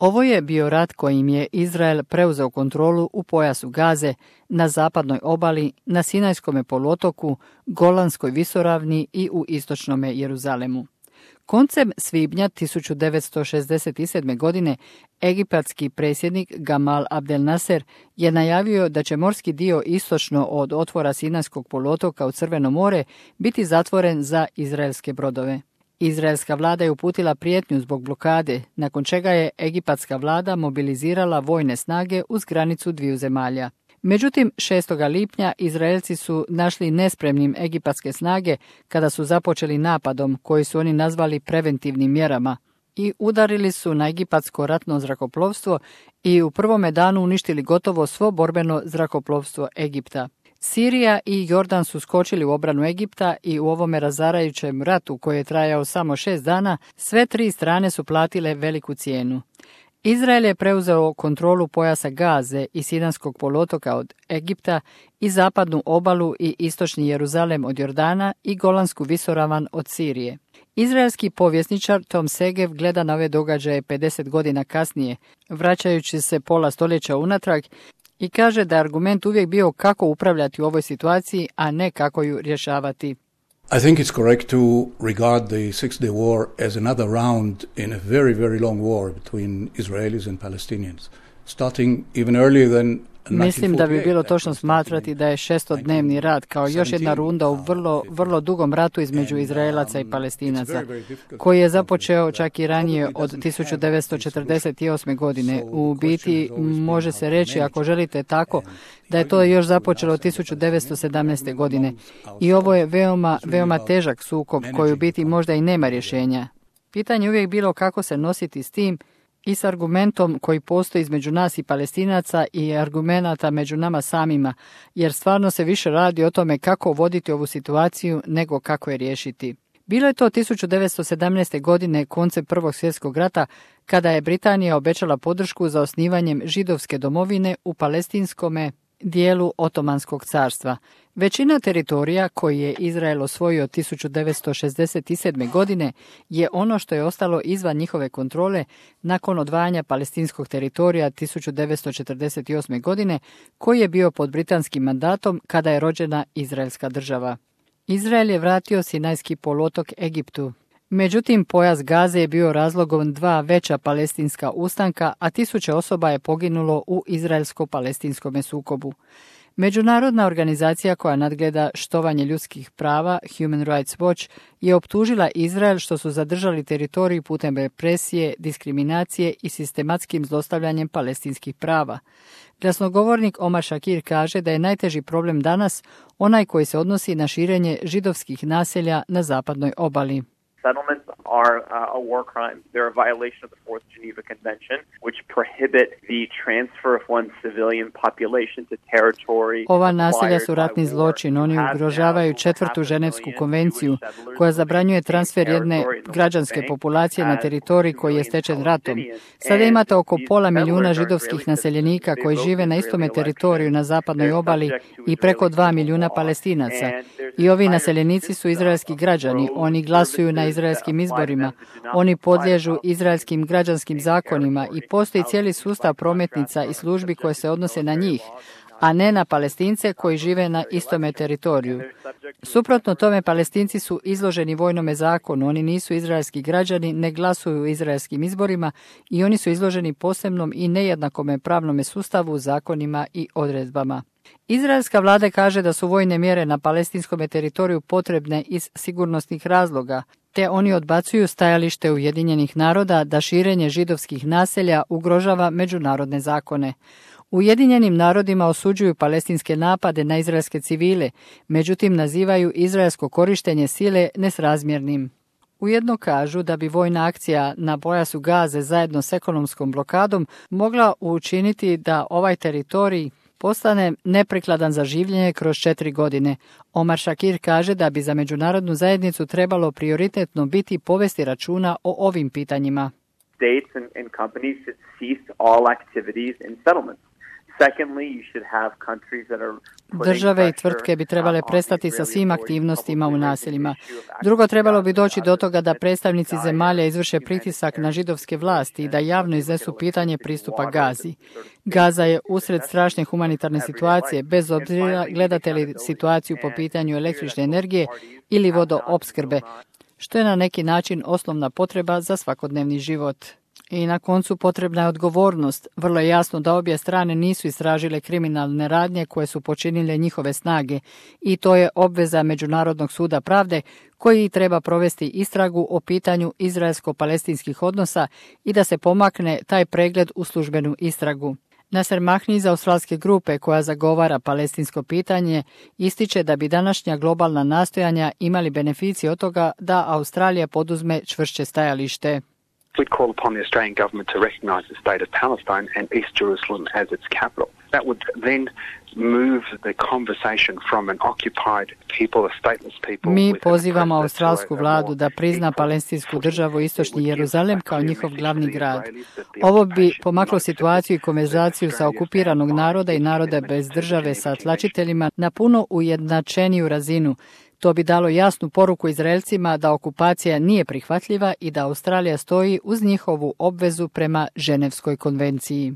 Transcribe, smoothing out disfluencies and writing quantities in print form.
Ovo je bio rat kojim je Izrael preuzeo kontrolu u pojasu Gaze, na zapadnoj obali, na Sinajskom poluotoku, Golanskoj visoravni i u istočnom Jeruzalemu. Koncem svibnja 1967. godine egipatski predsjednik Gamal Abdel Nasser je najavio da će morski dio istočno od otvora Sinajskog poluotoka u Crveno more biti zatvoren za izraelske brodove. Izraelska vlada je uputila prijetnju zbog blokade, nakon čega je egipatska vlada mobilizirala vojne snage uz granicu dviju zemalja. Međutim, 6. lipnja Izraelci su našli nespremnim egipatske snage kada su započeli napadom koji su oni nazvali preventivnim mjerama i udarili su na egipatsko ratno zrakoplovstvo i u prvome danu uništili gotovo svo borbeno zrakoplovstvo Egipta. Sirija i Jordan su skočili u obranu Egipta i u ovome razarajućem ratu koji je trajao samo 6 dana, sve tri strane su platile veliku cijenu. Izrael je preuzeo kontrolu pojasa Gaze i Sinajskog poluotoka od Egipta i zapadnu obalu i istočni Jeruzalem od Jordana i Golansku visoravan od Sirije. Izraelski povjesničar Tom Segev gleda na ove događaje 50 godina kasnije, vraćajući se pola stoljeća unatrag, i kaže da je argument uvijek bio kako upravljati u ovoj situaciji, a ne kako ju rješavati. I think it's correct to regard the Six-Day War as another round in a very, very long war between Israelis and Palestinians, starting even earlier than. Mislim da bi bilo točno smatrati da je šestodnevni rat kao još jedna runda u vrlo dugom ratu između Izraelaca i Palestinaca, koji je započeo čak i ranije od 1948. godine. U biti može se reći, ako želite tako, da je to još započelo 1917. godine. I ovo je veoma težak sukob koji u biti možda i nema rješenja. Pitanje je uvijek bilo kako se nositi s tim i s argumentom koji postoji između nas i Palestinaca i argumenata među nama samima, jer stvarno se više radi o tome kako voditi ovu situaciju nego kako je riješiti. Bilo je to 1917. godine, koncem Prvog svjetskog rata, kada je Britanija obećala podršku za osnivanjem židovske domovine u palestinskome dijelu Otomanskog carstva. Većina teritorija koji je Izrael osvojio 1967. godine je ono što je ostalo izvan njihove kontrole nakon odvajanja palestinskog teritorija 1948. godine, koji je bio pod britanskim mandatom kada je rođena Izraelska država. Izrael je vratio Sinajski poluotok Egiptu. Međutim, pojas Gaze je bio razlogom dva veća palestinska ustanka, a tisuće osoba je poginulo u izraelsko-palestinskom sukobu. Međunarodna organizacija koja nadgleda štovanje ljudskih prava, Human Rights Watch, je optužila Izrael što su zadržali teritorij putem represije, diskriminacije i sistematskim zlostavljanjem palestinskih prava. Glasnogovornik Omar Shakir kaže da je najteži problem danas onaj koji se odnosi na širenje židovskih naselja na zapadnoj obali. Settlements are a war crime. They're a violation of the Fourth Geneva Convention, which prohibit the transfer of one civilian population to territory. Ova naselja su ratni zločin. Oni ugrožavaju četvrtu Ženevsku konvenciju, koja zabranjuje transfer jedne građanske populacije na teritorij koji je stečen ratom. Sada imate oko 500,000 židovskih naseljenika koji žive na istome teritoriju na zapadnoj obali i preko 2 milijuna Palestinaca. I ovi naseljenici su izraelski građani. Oni glasuju na izraelskim izborima. Oni podliježu izraelskim građanskim zakonima i postoji cijeli sustav prometnica i službi koje se odnose na njih, a ne na Palestince koji žive na istome teritoriju. Suprotno tome, Palestinci su izloženi vojnome zakonu, oni nisu izraelski građani, ne glasuju u izraelskim izborima i oni su izloženi posebnom i nejednakome pravnome sustavu, zakonima i odredbama. Izraelska vlada kaže da su vojne mjere na palestinskom teritoriju potrebne iz sigurnosnih razloga, te oni odbacuju stajalište Ujedinjenih naroda da širenje židovskih naselja ugrožava međunarodne zakone. Ujedinjenim narodima osuđuju palestinske napade na izraelske civile, međutim nazivaju izraelsko korištenje sile nesrazmjernim. Ujedno kažu da bi vojna akcija na pojasu Gaze zajedno s ekonomskom blokadom mogla učiniti da ovaj teritorij postane neprikladan za življenje kroz 4 godine. Omar Shakir kaže da bi za međunarodnu zajednicu trebalo prioritetno biti povesti računa o ovim pitanjima. States and companies should cease all activities in settlements. Države i tvrtke bi trebale prestati sa svim aktivnostima u naseljima. Drugo, trebalo bi doći do toga da predstavnici zemalja izvrše pritisak na židovske vlasti i da javno iznesu pitanje pristupa Gazi. Gaza je usred strašne humanitarne situacije, bez obzira gledate li situaciju po pitanju električne energije ili vodoopskrbe, što je na neki način osnovna potreba za svakodnevni život. I na koncu potrebna je odgovornost. Vrlo je jasno da obje strane nisu istražile kriminalne radnje koje su počinile njihove snage i to je obveza Međunarodnog suda pravde koji treba provesti istragu o pitanju izraelsko-palestinskih odnosa i da se pomakne taj pregled u službenu istragu. Nasser Mahni iz australske grupe koja zagovara palestinsko pitanje ističe da bi današnja globalna nastojanja imali beneficije od toga da Australija poduzme čvršće stajalište. We call upon the Australian government to recognise the state of Palestine and East Jerusalem as its capital. That would then move the conversation from an occupied people, a stateless people. Mi pozivamo australsku vladu da prizna palestinsku državu Istočni Jeruzalem kao njihov glavni grad. Ovo bi pomaklo situaciju i konverzaciju sa okupiranog naroda i naroda bez države sa tlačiteljima na puno ujednačeniju razinu. To bi dalo jasnu poruku Izraelcima da okupacija nije prihvatljiva i da Australija stoji uz njihovu obvezu prema Ženevskoj konvenciji.